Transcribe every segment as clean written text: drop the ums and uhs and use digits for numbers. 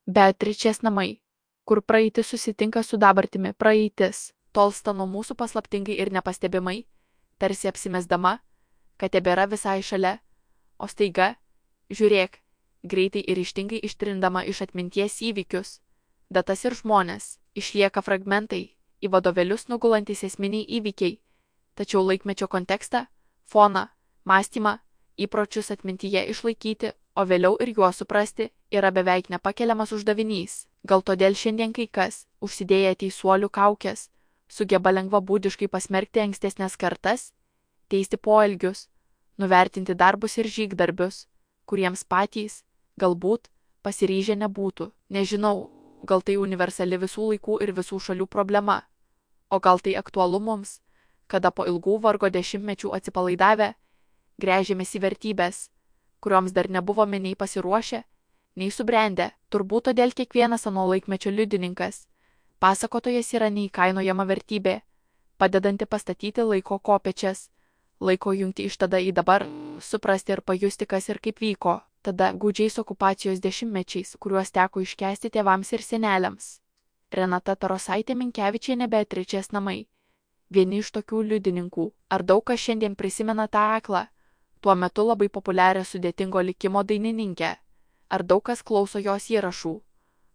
Beatričės namai, kur praeitis susitinka su dabartimi, praeitis tolsta nuo mūsų paslaptingai ir nepastebimai, tarsi apsimesdama, kad tebėra visai šalia, o staiga, žiūrėk, greitai ir ryžtingai ištrindama iš atminties įvykius, datas ir žmones, išlieka fragmentai, į vadovėlius nugulantys esminiai įvykiai, tačiau laikmečio kontekstą, foną, mąstymą, įpročius atmintyje išlaikyti, o vėliau ir juos suprasti, yra beveik nepakeliamas uždavinys. Gal todėl šiandien kai kas, užsidėję teisuolių kaukes, sugeba lengvabūdiškai pasmerkti ankstesnės kartas, teisti poelgius, nuvertinti darbus ir žygdarbius, kuriems patys, galbūt, pasiryžę nebūtų. Nežinau, gal tai universali visų laikų ir visų šalių problema, o gal tai aktualu mums, kada po ilgų vargo dešimtmečių atsipalaidavę, gręžėmės į vertybės, kurioms dar nebuvome nei pasiruošę, nei subrendę. Turbūt todėl kiekvienas ano laikmečio liudininkas, pasakotojas yra neįkainojama vertybė, padedanti pastatyti laiko kopėčias, laiko jungti iš tada į dabar, suprasti ir pajusti, kas ir kaip vyko, tada gūdžiais okupacijos dešimtmečiais, kuriuos teko iškęsti tėvams ir seneliams. Renata Tarosaitė Minkevičienė, Beatričės namai. Vieni iš tokių liudininkų. Ar daug kas šiandien prisimena tą aklą, tuo metu labai populiarią sudėtingo likimo dainininkę? Ar daug kas klauso jos įrašų?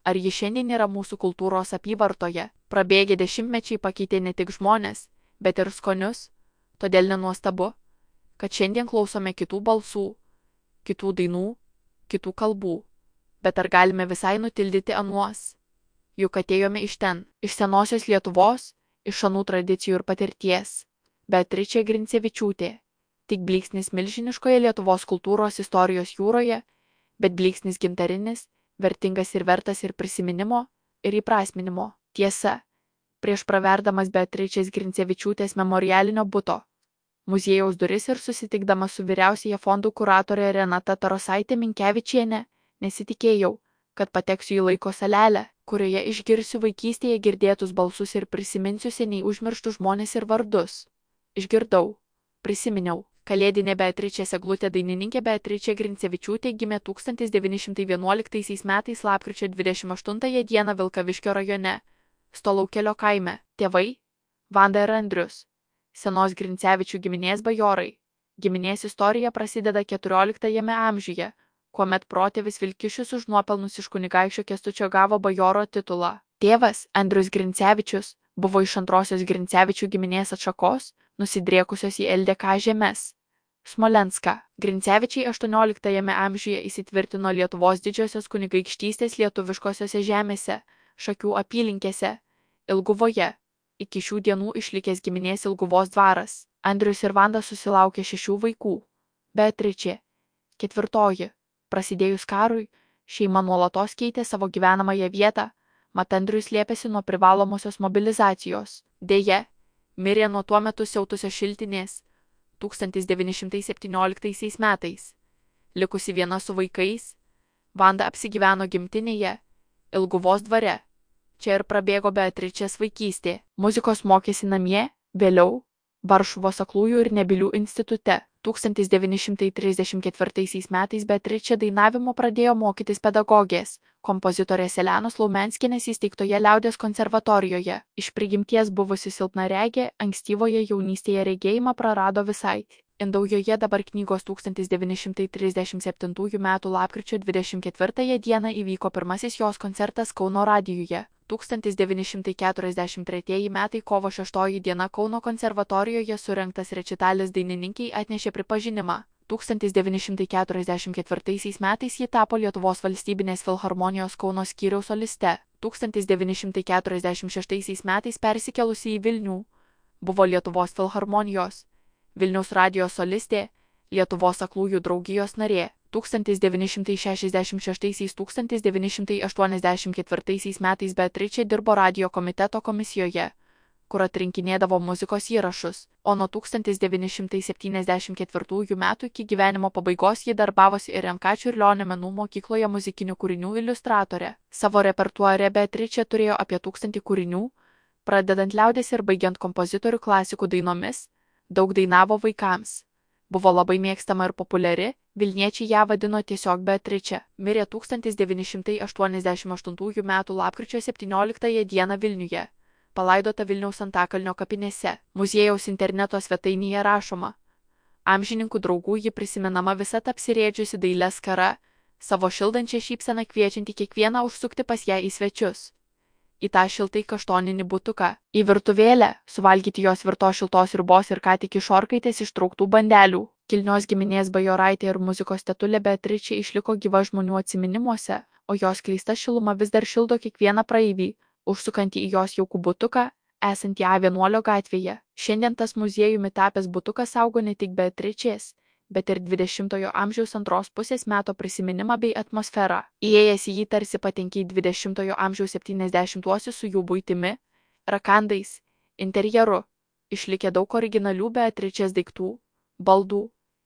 Ar ji šiandien yra mūsų kultūros apyvartoje? Prabėgę dešimtmečiai pakeitė ne tik žmones, bet ir skonius, todėl nenuostabu, kad šiandien klausome kitų balsų, kitų dainų, kitų kalbų. Bet ar galime visai nutildyti anuos? Juk atėjome iš ten, iš senosios Lietuvos, iš anų tradicijų ir patirties. Beatričė Grincevičiūtė. Tik blyksnis milžiniškoje Lietuvos kultūros istorijos jūroje, bet blyksnis gintarinis, vertingas ir vertas ir prisiminimo, ir įprasminimo. Tiesa, prieš praverdamas Beatričės Grincevičiūtės memorialinio buto muziejaus duris ir susitikdama su vyriausiaja fondų kuratorė Renata Tarosaitė Minkevičienė, nesitikėjau, kad pateksiu į laiko salelę, kurioje išgirsiu vaikystėje girdėtus balsus ir prisiminsiu seniai užmirštus žmones ir vardus. Išgirdau, prisiminiau. Kalėdinė Beatričės eglutė dainininkė Beatričė Grincevičiūtė gimė 1911 metais lapkričio 28 dieną Vilkaviškio rajone, Stolaukelio kaime. Tėvai – Vanda ir Andrius. Senos Grincevičių giminės bajorai. Giminės istorija prasideda 14 amžiuje, kuomet protėvis Vilkišius už nuopelnus iš kunigaikščio Kęstučio gavo bajoro titulą. Tėvas, Andrius Grincevičius, buvo iš antrosios Grincevičių giminės atšakos, nusidriekusios į LDK žemes. Smolenską. Grincevičiai 18 amžiuje įsitvirtino Lietuvos didžiosios kunigaikštystės lietuviškosiose žemėse, Šakių apylinkėse, Ilguvoje. Iki šių dienų išlikęs giminės Ilguvos dvaras. Andrius ir Vanda susilaukė 6 vaikų. Beatričė. 4. Prasidėjus karui, šeima nuolatos keitė savo gyvenamąją vietą, mat Andrius slėpėsi nuo privalomosios mobilizacijos. Deja, mirė nuo tuo metu siautusios šiltinės 1917 metais. Likusi viena su vaikais, Vanda apsigyveno gimtinėje, Ilguvos dvare. Čia ir prabėgo Beatričės vaikystė. Muzikos mokėsi namie, vėliau Varšuvos aklųjų ir nebylių institute. 1934 metais Beatričė dainavimo pradėjo mokytis pedagogės, kompozitorės Elenos Laumenskienės įsteigtoje Liaudies konservatorijoje. Iš prigimties buvusi silpnaregė, ankstyvoje jaunystėje regėjimą prarado visai. Indaujoje dabar knygos 1937 m. lapkričio 24 dieną įvyko pirmasis jos koncertas Kauno radijuje. 1943 metai kovo 6 diena Kauno konservatorijoje surengtas rečitalis dainininkei atnešė pripažinimą. 1944 metais ji tapo Lietuvos valstybinės filharmonijos Kauno skyriaus soliste. 1946 metais persikėlusi į Vilnių, buvo Lietuvos filharmonijos, Vilniaus radijo solistė, Lietuvos aklųjų draugijos narė. 1966–1984 metais Beatričė dirbo radijo komiteto komisijoje, kur atrinkinėdavo muzikos įrašus, o nuo 1974 metų iki gyvenimo pabaigos ji darbavosi ir MK Čiurlionio menų mokykloje muzikinių kūrinių iliustratore. Savo repertuare Beatričė turėjo apie 1000 kūrinių, pradedant liaudies ir baigiant kompozitorių klasikų dainomis, daug dainavo vaikams. Buvo labai mėgstama ir populiari, Vilniečiai ją vadino tiesiog Beatriče. Mirė 1988 m. lapkričio 17 d. Vilniuje. Palaidota Vilniaus Antakalnio kapinėse. Muziejaus interneto svetainėje rašoma. Amžininkų draugų ji prisimenama visat apsirėdžiusi dailę skara, savo šildančią šypseną kviečianti kiekvieną užsukti pas ją į svečius. Į tą šiltai kaštoninį butuką, į virtuvėlę, suvalgyti jos virtos šiltos sriubos ir ką tik iš orkaitės ištrauktų bandelių. Kilnios giminės bajoraitė ir muzikos tetulė Beatričė išliko gyva žmonių atsiminimuose, o jos skleista šiluma vis dar šildo kiekvieną praeivį, užsukantį į jos jaukų butuką, esantį A1 gatvėje. Šiandien tas muziejumi tapęs butukas saugo ne tik Beatričės, bet ir 20-ojo amžiaus antros pusės meto prisiminimą bei atmosferą. Įėjęs į jį tarsi patenki į 20-ojo amžiaus 70-uosius su jų buitimi, rakandais, interjeru. Išlikę daug originalių Beatričės daiktų, baldų,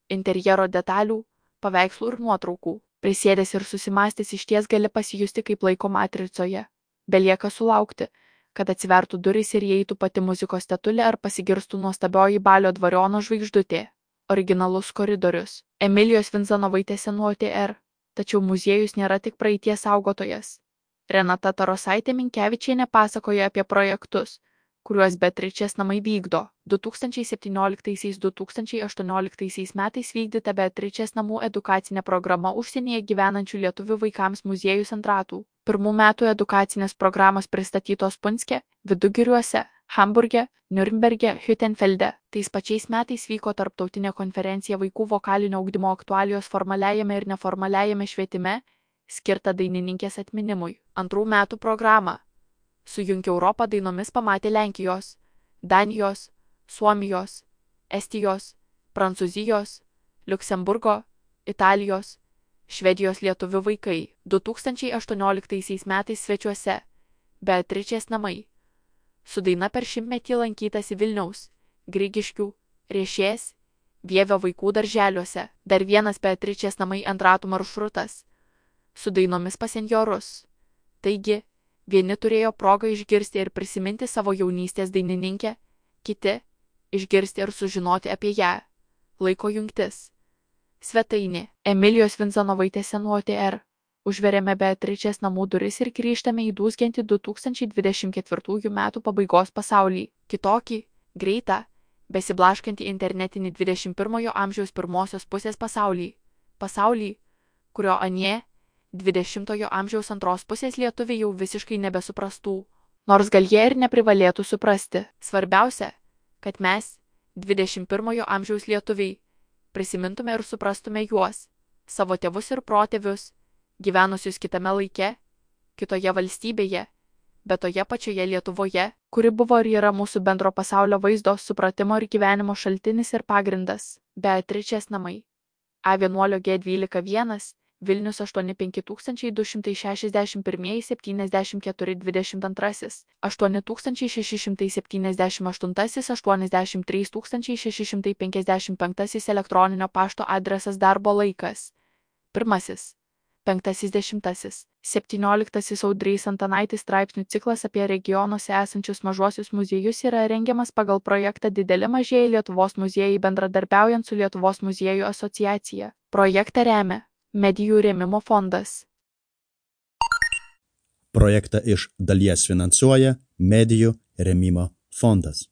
interjero detalių, paveikslų ir nuotraukų. Prisėdęs ir susimąstęs išties gali pasijusti kaip laiko matricoje. Belieka sulaukti, kad atsivertų durys ir įeitų pati muzikos tetulė ar pasigirstų nuostabioji Balio dvariono žvaigždutė. Originalus koridorius. Emilijos Vinzanovaitės senų OTR. Tačiau muziejus nėra tik praeities saugotojas. Renata Tarosaitė Minkevičienė pasakoja apie projektus, kuriuos Beatričės namai vykdo. 2017–2018 metais vykdyta Beatričės namų edukacinė programa užsienyje gyvenančių lietuvių vaikams muziejus ant ratų. Pirmų metų edukacinės programos pristatytos Punske, Vidugiriuose, Hamburge, Niurnberge, Hüttenfelde. Tais pačiais metais vyko tarptautinė konferencija vaikų vokalinio ugdymo aktualijos formaliajame ir neformaliajame švietime, skirta dainininkės atminimui. Antrų metų programą Sujunk Europą dainomis pamatė Lenkijos, Danijos, Suomijos, Estijos, Prancūzijos, Liuksemburgo, Italijos, Švedijos lietuvių vaikai. 2018 metais svečiuose Beatričės namai. Su daina per šimtmetį lankytasi Vilniaus, Grigiškių, Riešės, Vievio vaikų darželiuose. Dar vienas Beatričės namai ant ratų maršrutas. Su dainomis pas senjorus. Taigi, vieni turėjo progą išgirsti ir prisiminti savo jaunystės dainininkę, kiti išgirsti ir sužinoti apie ją. Laiko jungtis. Svetainė. Emilijos Vinzanovaitės senų OTR. Užveriame Beatričės namų duris ir grįžtame į dūzgiantį 2024 metų pabaigos pasaulį. Kitokį, greitą, besiblaškantį internetinį 21 amžiaus pirmosios pusės pasaulį. Pasaulį, kurio anie 20 amžiaus antros pusės lietuviai jau visiškai nebesuprastų. Nors gal jie ir neprivalėtų suprasti. Svarbiausia, kad mes, 21 amžiaus lietuviai, prisimintume ir suprastume juos, savo tėvus ir protėvius, gyvenusius kitame laike, kitoje valstybėje, bet toje pačioje Lietuvoje, kuri buvo ir yra mūsų bendro pasaulio vaizdo, supratimo ir gyvenimo šaltinis ir pagrindas. Beatričės namai. A1 G121, Vilnius 85261 74 22, 8678 83655 elektroninio pašto adresas darbo laikas. Pirmasis. 5.10. 17. Audrys Antanaitis straipsnių ciklas apie regionuose esančius mažuosius muziejus yra rengiamas pagal projektą Dideli mažieji Lietuvos muziejai bendradarbiaujant su Lietuvos muziejų asociacija. Projektą remia Medijų rėmimo fondas. Projektą iš dalies finansuoja Medijų rėmimo fondas.